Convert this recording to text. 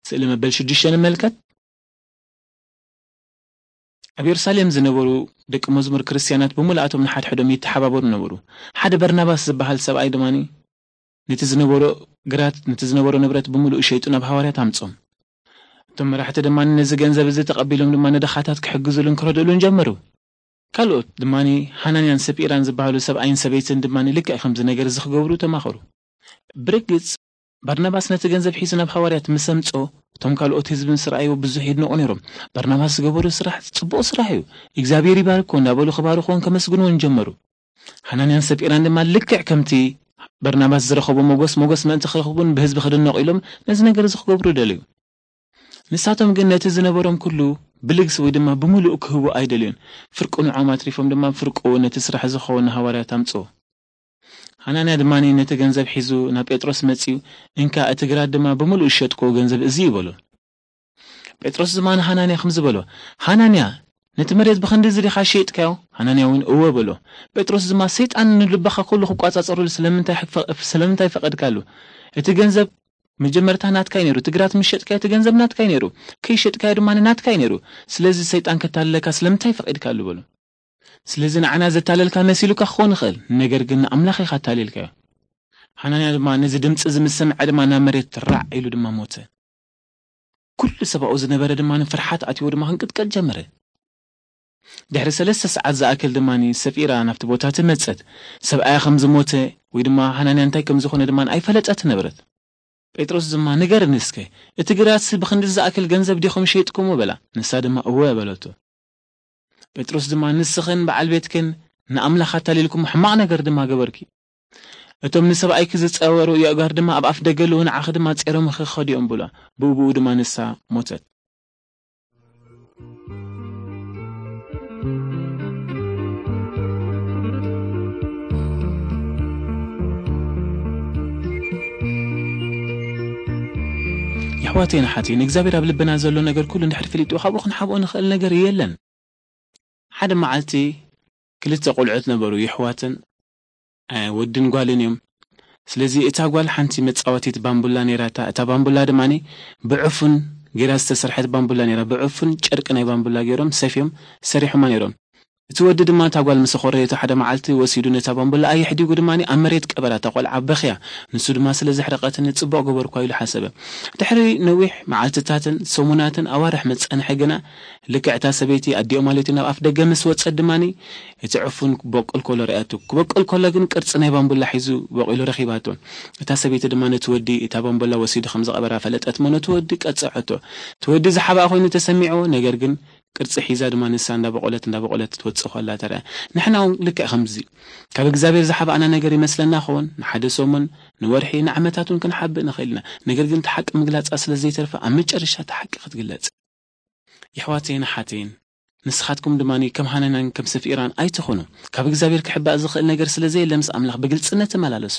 ስእሊ መበል ሽዱሽተ ንመልከት። ኣብ የሩሳሌም ዝነበሩ ደቂ መዝሙር ክርስትያናት ብምልኣቶም ንሓድሕዶም ይተሓባበሩ ነበሩ። ሓደ በርናባስ ዝበሃል ሰብኣይ ድማ ነቲ ዝነበሮ ግራት፣ ነቲ ዝነበሮ ንብረት ብምሉኡ ሸይጡ ናብ ሃዋርያት ኣምጾም። እቶም መራሕቲ ድማ ነዚ ገንዘብ እዚ ተቐቢሎም ድማ ንድኻታት ክሕግዙሉን ክረድኡሉን ጀመሩ። ካልኦት ድማ ሓናንያን ሰጲራን ዝበሃሉ ሰብኣይን ሰበይትን ድማ ልክዕ ከምዚ ነገር እዚ ክገብሩ ተማኸሩ። ብርግጽ፣ በርናባስ ነቲ ገንዘብ ሒዙ ናብ ሃዋርያት ምስ ኣምጾ፣ እቶም ካልኦት ህዝቢ ምስ ረኣይዎ ብዙሕ የድንቑ ነይሮም። በርናባስ ዝገበሮ ስራሕ ጽቡቕ ስራሕ እዩ፣ እግዚኣብሔር ይባርኮ እንዳበሉ ክባርኽዎን ከመስግንዎን ጀመሩ። ሓናንያን ሰጲራን ድማ ልክዕ ከምቲ በርናባስ ዝረኸቦ ሞገስ፣ ሞገስ ምእንቲ ክረኽቡን ብህዝቢ ክድነቑ ኢሎም ነዚ ነገር እዚ ክገብሩ ደለዩ። ንሳቶም ግን ነቲ ዝነበሮም ኩሉ ብልግሲ ወይ ድማ ብምሉእ ክህቡ ኣይደልዩን። ፍርቁ ንዖም ኣትሪፎም ድማ ፍርቁ ነቲ ስራሕ ዝኸውን ንሃዋርያት ኣምጽኡ። ሓናንያ ድማ ነቲ ገንዘብ ሒዙ ናብ ጴጥሮስ መጺኡ፣ "እንካ እቲ ግራት ድማ ብምሉእ ዝሸጥክዎ ገንዘብ እዚ እዩ" በሎ። ጴጥሮስ ድማ ንሓናንያ ከምዚ በሎ፣ "ሓናንያ፣ ነቲ መሬት ብኽንዲ እዚ ዲኻ ሸይጥካዮ?" ሓናንያ እውን "እወ" በሎ። ጴጥሮስ ድማ፣ "ሰይጣን ንልብኻ ኩሉ ክቋጻጸረሉ ስለምንታይ ፈ-፣ ስለምንታይ ፈቐድካሉ? እቲ ገንዘብ መጀመርታ ናትካ እዩ ነይሩ፣ እቲ ግራት ምስ ሸጥካዮ እቲ ገንዘብ ናትካ እዩ ነይሩ፣ ከይሸጥካዮ ድማ ናትካ እዩ ነይሩ። ስለዚ ሰይጣን ከታልለካ ስለምንታይ ፈቒድካሉ?" በሎ። ስለዚ ንዓና ዘታለልካ መሲሉካ ክኸውን ይኽእል፣ ነገር ግን ንኣምላኽ ኢኻ ኣታሊልካዮ። ሓናንያ ድማ ነዚ ድምፂ እዚ ምስ ሰምዐ ድማ ናብ መሬት ራዕ ኢሉ ድማ ሞተ። ኩሉ ሰብኣኡ ዝነበረ ድማ ንፍርሓት ኣትይዎ ድማ ክንቅጥቀጥ ጀመረ። ድሕሪ ሰለስተ ሰዓት ዝኣክል ድማ ሰፊራ ናብቲ ቦታ ትመጸት። ሰብኣያ ከም ዝሞተ ወይ ድማ ሓናንያ እንታይ ከም ዝኾነ ድማ ኣይፈለጠት ነበረት። ጴጥሮስ ድማ፣ "ንገርኒ እስከ፣ እቲ ግራትሲ ብኽንዲ ዝኣክል ገንዘብ ዲኹም ሸይጥኩሞ?" በላ። ንሳ ድማ፣ "እወ" በለቶ። ጴጥሮስ ድማ፣ "ንስኽን በዓል ቤትክን ንኣምላኽ ኣታሊልኩም ሕማቕ ነገር ድማ ገበርኪ። እቶም ንሰብኣይኪ ዝጸወሩ የእጋር ድማ ኣብ ኣፍ ደገ ኣለዉ፣ ንዓኺ ድማ ጼሮምኺ ክኸዱ እዮም" ብላ። ብኡ ብኡ ድማ ንሳ ሞተት። የሕዋተይን ኣሓተይን፣ እግዚኣብሔር ኣብ ልብና ዘሎ ነገር ኩሉ እንድሕር ፈሊጡ ካብኡ ክንሓብኦ ንኽእል ነገር የለን። ሓደ መዓልቲ ክልተ ቆልዑት ነበሩ፣ የሕዋትን፣ እ፣ ወድን ጓልን እዮም። ስለዚ እታ ጓል ሓንቲ መጻወቲት ባምቡላ ነይራታ። እታ ባምቡላ ድማኒ ብዕፉን ጌራ ዝተሰርሐት ባምቡላ ነይራ። ብዕፉን ጨርቂ ናይ ባምቡላ ገይሮም ሰፍዮም ሰሪሖማ ነይሮም። እቲ ወዲ ድማ እታ ጓል ምስ ኾረየቶ ሓደ መዓልቲ ወሲዱ ነታ ባምቡላ ኣየሕዲጉ ድማኒ ኣብ መሬት ቀበራ። እታ ቆልዓ በኽያ። ንሱ ድማ ስለ ዘሕረቐትኒ ጽቡቕ ገበርኳ ኢሉ ሓሰበ። ድሕሪ ነዊሕ መዓልትታትን ሰሙናትን ኣዋርሕ መጸንሐ ግና ልክዕ እታ ሰበይቲ ኣዲኦ ማለት እዩ ናብ ኣፍ ደገ ምስ ወጸት ድማኒ እቲ ዕፉን ክበቁል ከሎ ርኣያቶ። ክበቁል ከሎ ግን ቅርጺ ናይ ባምቡላ ሒዙ በቂሉ ረኺባቶ። እታ ሰበይቲ ድማ ነቲ ወዲ እታ ባምቡላ ወሲዱ ከም ዝቐበራ ፈለጠት እሞ ነቲ ወዲ ቀጸዐቶ። እቲ ወዲ ዝሓብኣ ኮይኑ ተሰሚዕዎ፣ ነገር ግን ቅርጺ ሒዛ ድማ ንሳ እንዳበቆለት እንዳበቆለት ትወጽእ ከላ ተረኣ። ንሕና እውን ልክዕ ከምዚ ካብ እግዚኣብሔር ዝሓብኣና ነገር ይመስለና ኸውን። ንሓደ ሰሙን፣ ንወርሒ፣ ንዓመታት እውን ክንሓብእ ንኽእል ኢና። ነገር ግን እቲ ሓቂ ምግላጻ ስለ ዘይተርፈ ኣብ መጨረሻ እቲ ሓቂ ክትግለጽ። የሕዋተይን ኣሓተይን፣ ንስኻትኩም ድማ ከም ሃናንያን ከም ሰፊራን ኣይትኹኑ። ካብ እግዚኣብሔር ክሕባእ ዝኽእል ነገር ስለ ዘየለ ምስ ኣምላኽ ብግልጽነት ተመላለሱ።